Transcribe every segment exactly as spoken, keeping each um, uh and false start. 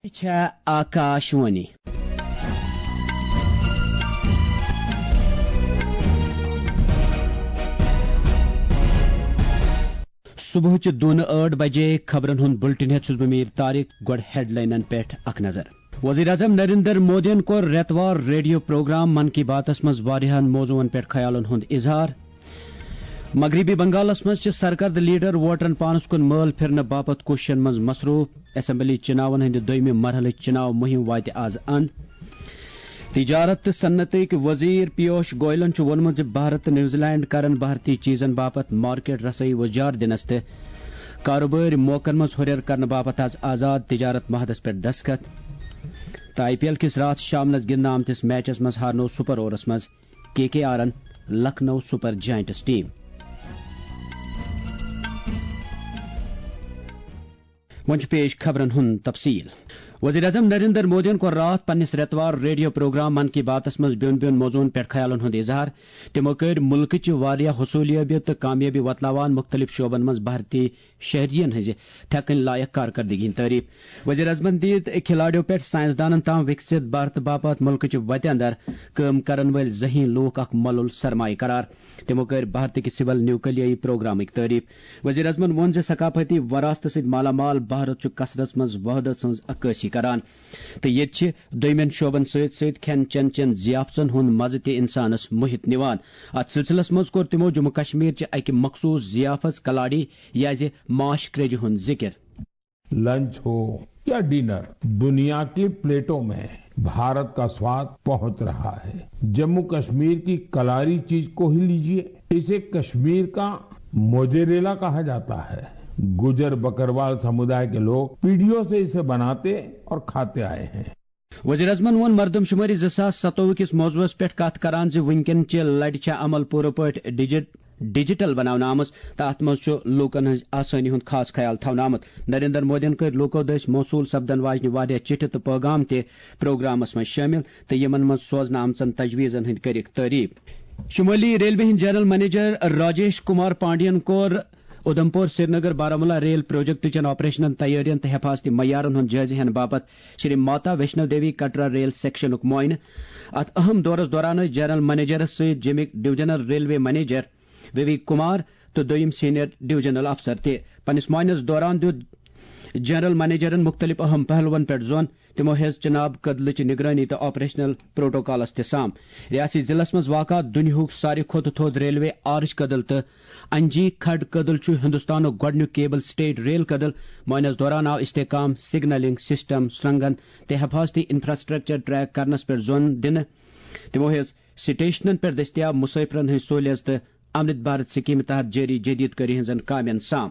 چھےٚ آکاشوانی۔ صبحٕچہِ دۄن ٲٹھ بجے خبرن ہُنٛد بُلٹن ہٮ۪تھ چھُس بہٕ میٖر طارق۔ گۄڈٕ ہیڈلاینن پٮ۪ٹھ اکھ نظر۔ وزیر اعظم نریندر مودیَن کوٚر رٮ۪توار ریڈیو پروگرام من کی باتس منٛز واریاہن موضوعن پٮ۪ٹھ خیالن ہُنٛد اظہار۔ مغربی بنگالس منٛز چھِ سرکردٕ لیڈر ووٹرن پانس کُن مٲل پھرنہٕ باپتھ کوٗششن منٛز مصروف۔ اسمبلی چناون ہٕنٛدِ دوٚیمہِ مرحلٕچ چناو مُہِم واتہِ از اند۔ تجارت تہٕ صنعتٕکۍ وزیر پیوش گوئلن چھُ ووٚنمُت زِ بھارت تہٕ نیوزی لینڈ کرن بھارتی چیزن باپتھ مارکیٹ رسٲیی وۄزجار دِنس تہٕ کاروبٲرۍ موقعن منٛز ہُرٮ۪ر کرنہٕ باپتھ از آزاد تجارت معاہدس پٮ۪ٹھ دستخط۔ تہٕ آئی پی ایل کِس راتھ شامنس گِنٛدنہٕ آمتِس میچس منٛز ہارنوو سپر اوورس منٛز کے کے آرن لکھنؤ سپر جائنٹس ٹیم۔ وۄنۍ چھُ پیش خبرن ہُنٛد تفصیل۔ وزیر اعظم نریندر مودیَن کوٚر راتھ پننِس رٮ۪توار ریڈیو پروگرام من کی باتس منٛز بیوٚن بیوٚن موضوعن پٮ۪ٹھ خیالن ہُنٛد اظہار۔ تِمو کٔرۍ مُلکٕچہِ واریاہ حصولیابیت تہٕ کامیٲبی وۄتلاوان مُختٔلِف شعبن منٛز بھارتی شہرین ہٕنٛزِ تھٮ۪کٕنۍ لایق کارکردگی ہٕنٛز تعریف۔ وزیر اعظمن دِتۍ کھلاڑیو پٮ۪ٹھ سائنسدانن تام وِکسِت بھارت باپتھ مُلکٕچہِ وتہِ اندر کٲم کرن وٲلۍ ذہین لوٗکھ اکھ مۄلُل سرمایہ قرار۔ تِمو کٔرۍ بھارتٕکہِ سول نیوکلیائی پروگرامٕکۍ تعریف۔ وزیر اعظمن ووٚن زِ ثقافتی وراثتہٕ سۭتۍ مالا مال بھارت چھُ کثرت منٛز وحدت ہٕنٛز عکٲسی کران تہٕ ییٚتہِ چھِ دوٚیمٮ۪ن شعبن سۭتۍ سۭتۍ کھٮ۪ن چٮ۪ن چٮ۪ن ضیافتن ہُنٛد مزٕ تہِ انسانس موہِتھ نِوان۔ اتھ سلسلس منٛز کوٚر تِمو جموں کشمیر چہِ اکہِ مخصوص ضیافت کلاڑی یازِ ماش کریجہِ ہُنٛد ذکر۔ لنچ ہو یا ڈنر، دنیا کی پلیٹوں میں بھارت کا سواد پہنچ رہا ہے۔ جموں کشمیر کی کلاری چیز کو ہی لیجیے، اسے کشمیر کا موزریلا کہا جاتا ہے۔ گجر بکروال سمودائے کے لوگ پیڑھیوں سے اسے بناتے اور کھاتے آئے ہیں۔ وزیر اعظمن ووٚن مردم شمٲری زٕ ساس ستووُہ کِس موضوعس پٮ۪ٹھ کتھ کران زِ وٕنکٮ۪ن چہِ لڑِ چھےٚ عمل پوٗرٕ پٲٹھۍ ڈیجٹ ڈیجیٹل بناونہٕ آمٕژ تہٕ اتھ منٛز چھُ لوٗکن ہٕنٛز آسٲنی ہُنٛد خاص خیال تھاونہٕ آمُت۔ نریندر مودیَن کٔرۍ لوٗکو دٔسۍ موصوٗل سپدن واجنہِ واریاہ چِٹھِ تہٕ پٲغام تہِ پروگرامس منٛز شٲمِل تہٕ یِمن منٛز سوزنہٕ آمژن تجویزن ہٕنٛدۍ کٔرِکھ تعریف۔ شمٲلی ریلوے ہٕنٛدۍ جنرل منیجر راجیش کمار پانڈین کوٚر اُدھمپور سرینگر بارہمولہ ریل پروجیکٹ چٮ۪ن آپریشنن تیٲرین تہٕ حفاظتی معیارن ہُنٛد جٲیزٕ ہینہٕ باپتھ شری ماتا ویشنو دیوی کٹرا ریل سیکشنُک معائنہٕ۔ اتھ اہم دورس دوران ٲسۍ جنرل منیجرس سۭتۍ جیٚمِکۍ ڈویژنل ریلوے منیجر ویوی کمار تہٕ دوٚیِم سینئر ڈویژنل افسر تہِ۔ پننِس معائنس دوران دیُت جنرل منیجرن مُختٔلِف اہم پہلوَن پٮ۪ٹھ زون۔ تِمو ہیٚژ چناب کدلٕچ نگرٲنی تہٕ آپریشنل پروٹوکالس تہِ سام۔ ریاستی ضلعس منٛز واقع دُنیاہُک ساروی کھۄتہٕ تھوٚد ریلوے آرچ کدل تہٕ انجی کھڈ کدل چھُ ہندوستانُک گۄڈٕنیُک کیبل سٹیٹ ریل کدل۔ معائنس دوران آو استحکام، سگنلنگ سسٹم، سرنگن تہٕ حفاظتی انفراسٹرکچر ٹریک کرنس پٮ۪ٹھ زون دِنہٕ۔ تِمو ہیٚژ سٹیشنن پٮ۪ٹھ دٔستیاب مسافرن ہٕنٛز سہولیژ تہٕ امرت بھارت سکیمہِ تحت جٲری جدید کٲری ہٕنٛزن کامٮ۪ن سام۔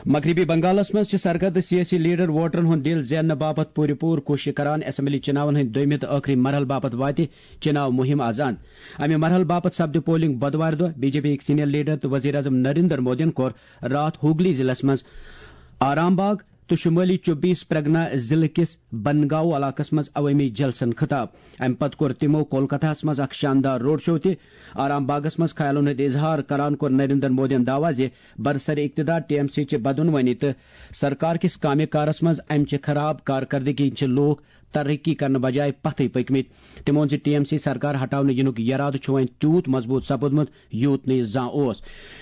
مغربی بنگالس منٛز چھِ سرکردٕ سیٲسی لیڈر ووٹرن ہُنٛد دِل زیننہٕ باپتھ پوٗرٕ پوٗرٕ کوٗشش کران۔ اسمبلی چناون ہٕنٛدۍ دوٚیمہِ تہٕ ٲخری مرحلہٕ باپتھ واتہِ چناو مُہِم از اند۔ امہِ مرحلہٕ باپتھ سپدِ پولنگ بدوارِ دۄہ۔ بی جے پی یِکۍ سینئر لیڈر تہٕ وزیر اعظم نریندر مودیَن کوٚر راتھ ہوگلی ضلعس منٛز آرام باغ تہٕ شمٲلی چوبیس پرگنا ضلعہٕ کِس بنگاؤ علاقس منٛز عوٲمی جلسن خطاب۔ امہِ پتہٕ کوٚر تِمو کولکتہس منٛز اکھ شاندار روڈ شو تہِ۔ آرام باغس منٛز خیالن ہُنٛد اظہار کران کوٚر نریندر مودیَن دعویٰ زِ برسر اقتدار ٹی ایم سی چہِ بدعنوانی تہٕ سرکار کِس کامہِ کارس منٛز امہِ چہِ خراب کارکردگی چھِ لوٗکھ ترقی کرنہٕ بجایہِ پتھٕے پٔکمٕتۍ۔ تٔمۍ ووٚن زِ ٹی ایم سی سرکار ہٹاونہٕ یِنُک یرادٕ چھُ وۄنۍ تیوٗت مضبوٗط سپُدمُت، یوٗت نہٕ یہِ زانٛہہ اوس۔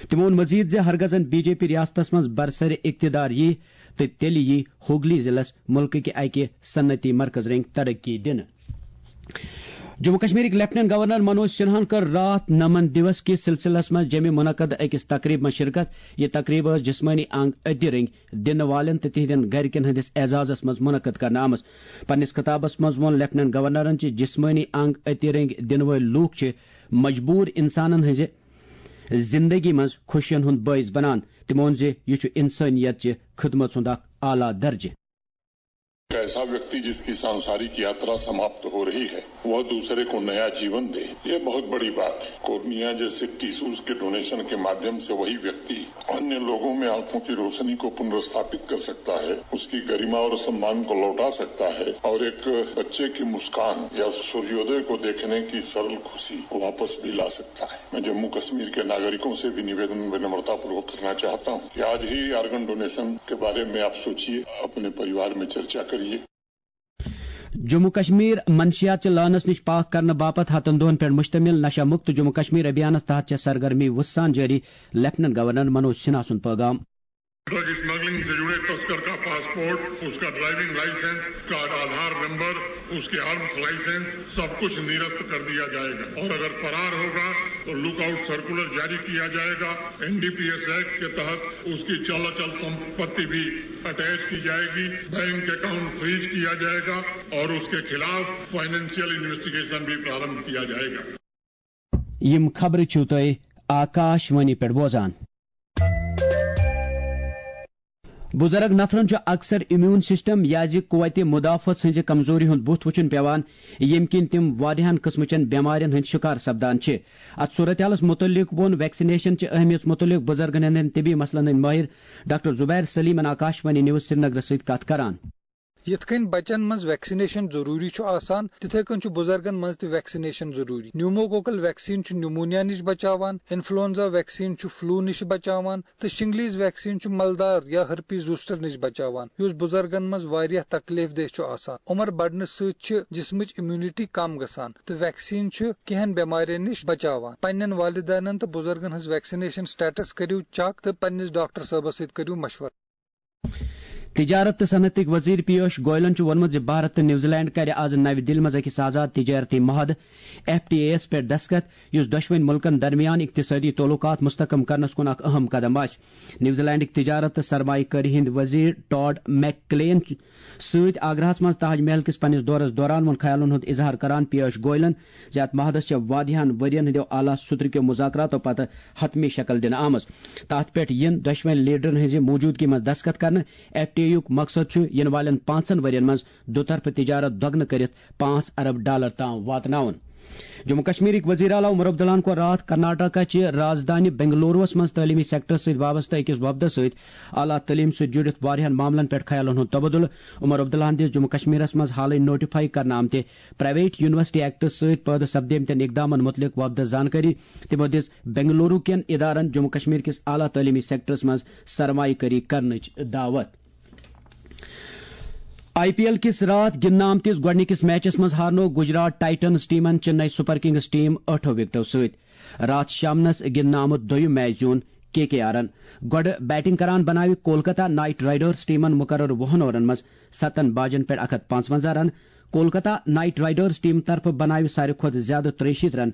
تٔمۍ ووٚن مزید زِ ہرگزن بی جے پی ریاستس منٛز برسر اقتدار یی، تہٕ تیٚلہِ یی ہوگلی ضلعس مُلکٕکہِ اکہِ صنعتی مرکز رٔنگۍ ترقی دِنہٕ۔ جموں کشمیرٕکۍ لیفٹیننٹ گورنر منوج سنہاہن کٔر راتھ نمن دیوس کِس سلسلس منٛز جیٚمہِ منعقد أکِس تقریبہِ منٛز شرکت۔ یہِ تقریب ٲس جسمٲنی انگ أتہِ رٔنگۍ دِنہٕ والٮ۪ن تہٕ تِہنٛدٮ۪ن گرِکٮ۪ن ہٕنٛدِس اعزازس منٛز منعقد کرنہٕ آمٕژ۔ پننِس خطابس منٛز ووٚن لیفٹیننٹ گورنرن زِ جسمٲنی انگ أتہِ رٔنگۍ دِنہٕ وٲلۍ لوٗکھ چھِ مجبوٗر انسانن ہٕنٛزِ زندگی منٛز خوشین ہُنٛد بٲعث بنان۔ تٔمۍ ووٚن زِ یہِ چھُ انسٲنیت چہِ خدمت ہُنٛد اکھ اعلیٰ درجہٕ۔ ایک ایسا ویکتی جس کی سانسارک یاترا سماپت ہو رہی ہے، وہ دوسرے کو نیا جیون دے، یہ بہت بڑی بات ہے۔ کورنیا جیسے ٹیشوز کے ڈونیشن کے مادھیم سے وہی ویکتی انیہ لوگوں میں آنکھوں کی روشنی کو پنرستھاپت کر سکتا ہے، اس کی گریما اور سمان کو لوٹا سکتا ہے اور ایک بچے کی مسکان یا سوریودے کو دیکھنے کی سرل خوشی واپس بھی لا سکتا ہے۔ میں جموں کشمیر کے ناگرکوں سے بھی نویدن ونمرتا پوروک کرنا چاہتا ہوں کہ آج ہی آرگن ڈونیشن کے بارے میں آپ سوچیے، اپنے پریوار میں چرچا کریے۔ جموں کشمیر منشیات چہِ لعنس نِش پاک کرنہٕ باپتھ ہتن دۄہن پٮ۪ٹھ مشتمل نشہ مکت جموں کشمیر ابھیانس تحت چھےٚ سرگرمی وُژھ سان جٲری، لیفٹننٹ گورنر منوج سنہا سُنٛد پٲغام۔ ڈرگ اسمگلنگ سے جڑے تسکر کا پاسپورٹ، اس کا ڈرائیونگ لائسنس، اس کا آدھار نمبر، اس کے آرمز لائسنس، سب کچھ نرست کر دیا جائے گا اور اگر فرار ہوگا تو لک آؤٹ سرکولر جاری کیا جائے گا۔ N D P S act کے تحت اس کی چل اچل سمپتی بھی اٹیچ کی جائے گی، بینک اکاؤنٹ فریز کیا جائے گا اور اس کے خلاف فائنینشیل انویسٹیگیشن بھی پرارمبھ کیا جائے گا۔ یِم خبرٕ چھِو تُہۍ آکاش وانی پٮ۪ٹھ بوزان۔ بُزرگ نفرن چھُ اکثر امیون سسٹم یا زِ قوت مدافعت ہٕنٛزِ کمزوری ہُنٛد بُتھ وُچھُن پٮ۪وان، ییٚمہِ کِنۍ تِم واریاہن قٕسمٕچن بٮ۪مارٮ۪ن ہٕنٛدۍ شِکار سپدان چھِ۔ اتھ صورتحالس مُتعلق ووٚن ویکسینیشن چہِ اہمیت مُتعلق بُزرگن ہٕنٛدٮ۪ن طبی مسلن ہٕنٛدۍ مٲہِر ڈاکٹر زبیر سلیمن آکاشوانی نیوز سرینگرس سۭتۍ کتھ کران۔ یِتھ کٔنۍ بچن منٛز ویکسینیشن ضروٗری چھُ آسان، تِتھے کٔنۍ چھُ بُزرگن منٛز تہِ ویکسینیشن ضروٗری۔ نیوموکوکل ویکسیٖن چھُ نیومونیا نِش بچاوان، انفلونزا ویکسیٖن چھُ فلو نِش بچاوان، تہٕ شنگلیز ویکسیٖن چھُ ملدار یا ہرپیز زوسٹر نِش بچاوان، یُس بُزرگن منٛز واریاہ تکلیف دہ چھُ آسان۔ عمر بڑنہٕ سۭتۍ چھِ جسمٕچ امیونٹی کم گژھان، تہٕ ویکسیٖن چھُ کینٛہن بٮ۪مارٮ۪ن نِش بچاوان۔ پننٮ۪ن والدینن تہٕ بُزرگن ہٕنٛز ویکسینیشن سٹیٹس کٔرِو چیک تہٕ پننِس ڈاکٹر صٲبس سۭتۍ کٔرِو مشورٕ۔ تجارت تہٕ صنعتٕکۍ وزیر پیوش گوئلن چھُ ووٚنمُت زِ بھارت تہٕ نیوزی لینڈ کَرِ آز نَوِ دِلہِ منٛز أکِس آزاد تجارتی معاہدٕ، ایف ٹی اے یَس پٮ۪ٹھ دستخط، یُس دۄشوٕنۍ مُلکَن درمیان اقتصٲدی تعلقات مستحکم کرنَس کُن اکھ اہم قدم آسہِ۔ نیوزی لینڈٕکۍ تجارت تہٕ سرمایہ کٲری ہٕنٛدۍ وزیر ٹاڈ میک کلین سۭتۍ آگراہَس منٛز تاج محل کِس پننِس دورَس دوران ووٚن خیالَن ہُنٛد اظہار کران پیوش گوئلن زِ اتھ معاہدس چھےٚ واریاہن ؤرین ہٕنٛدیو اعلیٰ سطرٕکیو مذاکراتو پتہٕ حتمی شکل دِنہٕ آمٕژ۔ تتھ پٮ۪ٹھ یِن دۄشوٕنۍ لیڈرن ہٕنٛزِ موجودگی منٛز دستخط کرنہٕ۔ ایف ٹی اے یُک مقصد چھُ یِنہٕ والٮ۪ن پانٛژن ؤرین منٛز دُطرفہٕ تجارت دۄگنہٕ کٔرِتھ پانٛژھ ارب ڈالر تام واتناوُن۔ جموں کشمیرٕکۍ وزیر اعلیٰ عمر عبداللہن کوٚر راتھ کرناٹکہ چہِ رازدانہِ بنگلوروَس منٛز تعلیمی سیکٹرس سۭتۍ وابستہٕ أکِس وفدس سۭتۍ اعلیٰ تعلیٖم سۭتۍ جُڑِتھ واریاہَن معاملَن پٮ۪ٹھ خیالَن ہُنٛد تبادلہٕ۔ عمر عبداللہَن دِژ جموں کشمیرَس منٛز حالٕے نوٹیفائی کرنہٕ آمتہِ پرائیویٹ یونیورسٹی ایکٹس سۭتۍ پٲدٕ سپدیمتٮ۪ن اقدامَن مُتعلِق وفدس زانکٲری۔ تِمَو دِژ بنگلورو کٮ۪ن ادارَن جموں کشمیر کِس اعلیٰ تعلیٖمی سیکٹرس منٛز سرمایہ کٲری کرنٕچ دعوت۔ آئی پی ایل کِس راتھ گِنٛدنہٕ آمتِس گۄڈٕنِکِس میچَس منٛز ہارنوو گجرات ٹائٹنز ٹیمَن چنئی سپر کنگز ٹیم ٲٹھو وِکٹو سۭتۍ۔ راتھ شامنَس گِنٛدنہٕ آمُت دوٚیُم میچ زیوٗن کے کے آرَن۔ گۄڈٕ بیٹنگ کران بناوِ کولکتہ نائٹ رائیڈرز ٹیمَن مقرر وُہَن اورَن منٛز ستَن باجَن پٮ۪ٹھ اکھ ہتھ پانٛژوَنٛزاہ رن۔ کولکتہ نائٹ رائیڈرز ٹیم طرفہٕ بناوِ ساروی کھۄتہٕ زیادٕ ترٛیہِ شیٖتھ رن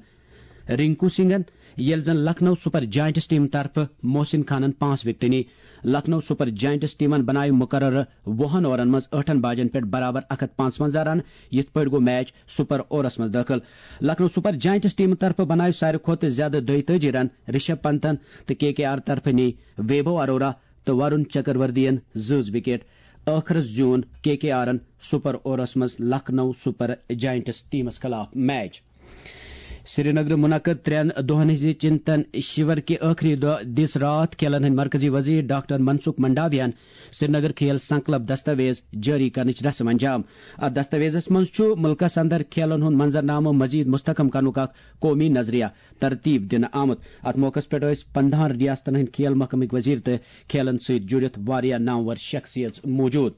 رنکو سنگھن، ییٚلہِ زن لکھنؤ سپر جائنٹس ٹیم طرفہٕ محسن خانن پانٛژھ وکٹہٕ نی۔ لکھنؤ سپر جائنٹس ٹیمن بناوِ مقررٕ وُہن اورن منٛز ٲٹھن باجن پٮ۪ٹھ برابر اکھ ہتھ پانٛژوَنٛزاہ رن، یِتھ پٲٹھۍ گوٚو میچ سپر اوورس منٛز دٲخل۔ لکھنؤ سپر جائنٹس ٹیمہٕ طرفہٕ بناوِ ساروی کھۄتہٕ زیادٕ دۄیہِ تٲجی رن رشب پنتن تہٕ کے کے آر طرفہٕ نی ویبھو اروڑا تہٕ ورون چکروردین زٕز وکٹ۔ ٲخرس زیوٗن کے کے آرن سپر اوورس منٛز لکھنؤ سپر جائنٹس ٹیمس خلاف میچ۔ سرینگرٕ منعقد ترٛٮ۪ن دۄہن ہٕنٛزِ چنتن شِور کہِ ٲخری دۄہ دِژ راتھ کھیلن ہٕنٛدۍ مرکزی وزیر ڈاکٹر منسکھ منڈاویہن سرینگر کھیل سنکلپ دستاویز جٲری کرنٕچ رسم انجام۔ اتھ دستاویزس منٛز چھُ ملکس اندر کھیلن ہُنٛد منظرنامہٕ مزید مستحکم کرنُک اکھ قومی نظریہ ترتیب دِنہٕ آمُت۔ اتھ موقعس پٮ۪ٹھ ٲسۍ پندہن ریاستن ہٕنٛدۍ کھیل محکمٕکۍ وزیر تہٕ کھیلن سۭتۍ جُڑِتھ واریاہ نامور شخصیژ موجود۔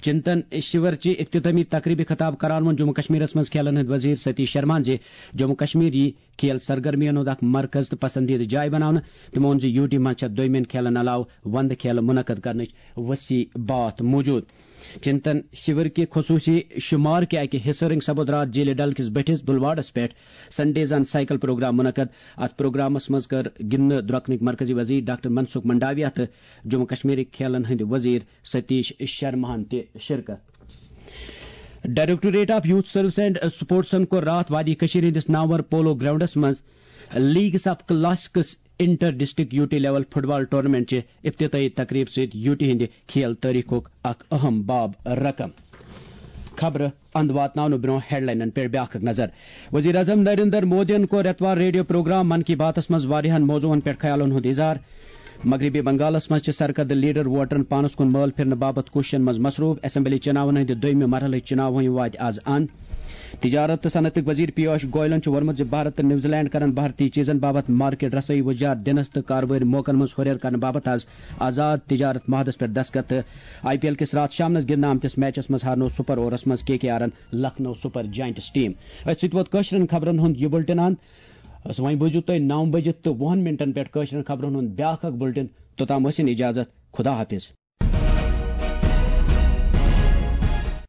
چنتن شِور چہِ اختتامی تقریبہِ خطاب کران ووٚن جموں کشمیرس منٛز کھیلن ہٕنٛدۍ وزیر ستیش شرماہن زِ جموں کشمیر یی کھیل سرگرمین ہُنٛد اکھ مرکز تہٕ پسندیدٕ جاے بناونہٕ۔ تِمو ووٚن زِ یوٗ ٹی منٛز چھےٚ دوٚیمٮ۪ن کھیلن علاوٕ وندٕ کھیلہٕ منعقد کرنٕچ وسیع باتھ موجود۔ چنتن شِور کہِ خصوٗصی شمار کہِ اکہِ حصہٕ رنگۍ سپُد راتھ جیٖلہِ ڈل کِس بٔٹھِس بلواڑس پٮ۪ٹھ سنڈیز آن سائیکل پروگرام منعقد۔ اتھ پروگرامس منٛز کٔر گِنٛدنہٕ درۄکنٕکۍ مرکزی وزیر ڈاکٹر منسکھ منڈاویہ تہٕ جموں کشمیرٕکۍ کھیلن ہٕنٛدۍ وزیر ستیش شرماہن تہِ شرکت۔ Directorate of youth service and سپورٹسن کوٚر راتھ وادی کٔشیٖر ہٕنٛدِس نامور پولو گراؤنڈس منٛز leagues of classics inter district UT level football tournament چہِ افتتاحی تقریب سۭتۍ یوٗٹی ہٕنٛدِ کھیل تٲریخُک اکھ اہم باب رقم۔ خبرٕ اند واتناونہٕ برونٛہہ ہیڈلاینن پٮ۪ٹھ بیاکھ اکھ نظر۔ وزیر اعظم نریندر مودیَن کوٚر رٮ۪توار ریڈیو پروگرام من کی باتس منٛز واریاہن موضوعن پٮ۪ٹھ خیالن ہُنٛد اظہار۔ مغربی بنگالس منٛز چھِ سرکردٕ لیڈر ووٹرن پانس کُن مٲل پھرنہٕ باپتھ کوٗششن منٛز مصروٗف۔ اسمبلی چُناون ہٕنٛدِ دوٚیمہِ مرحلٕچ چُناو ہٕنٛدۍ واتہِ از ان۔ تجارت تہٕ صنعتٕکۍ وزیر پیوش گوئلن چھُ ووٚنمُت زِ بھارت تہٕ نیوزی لینڈ کرن بھارتی چیزن باپتھ مارکیٹ رسٲیی وُجار دِنس تہٕ کاروباری موقعن منٛز ہُرٮ۪ر کرنہٕ باپتھ آز آزاد تجارت معاہدس پٮ۪ٹھ دستخط۔ تہٕ آئی پی ایل کِس راتھ شامنس گِنٛدنہٕ آمتِس میچس منٛز ہارنوو سپر اوورس منٛز کے کے آرن لکھنؤ سپر جائنٹس ٹیم۔ أتھۍ سۭتۍ ووت کٲشرٮ۪ن خبرن ہُنٛد یہِ بُلٹن اند۔ وۄنۍ بوٗزِو تُہۍ نو بجہِ تہٕ وُہن منٹن پٮ۪ٹھ کٲشرٮ۪ن خبرن ہُنٛد بیٛاکھ اکھ بُلٹن۔ توٚتام ٲسِن اجازت۔ خدا حافظ۔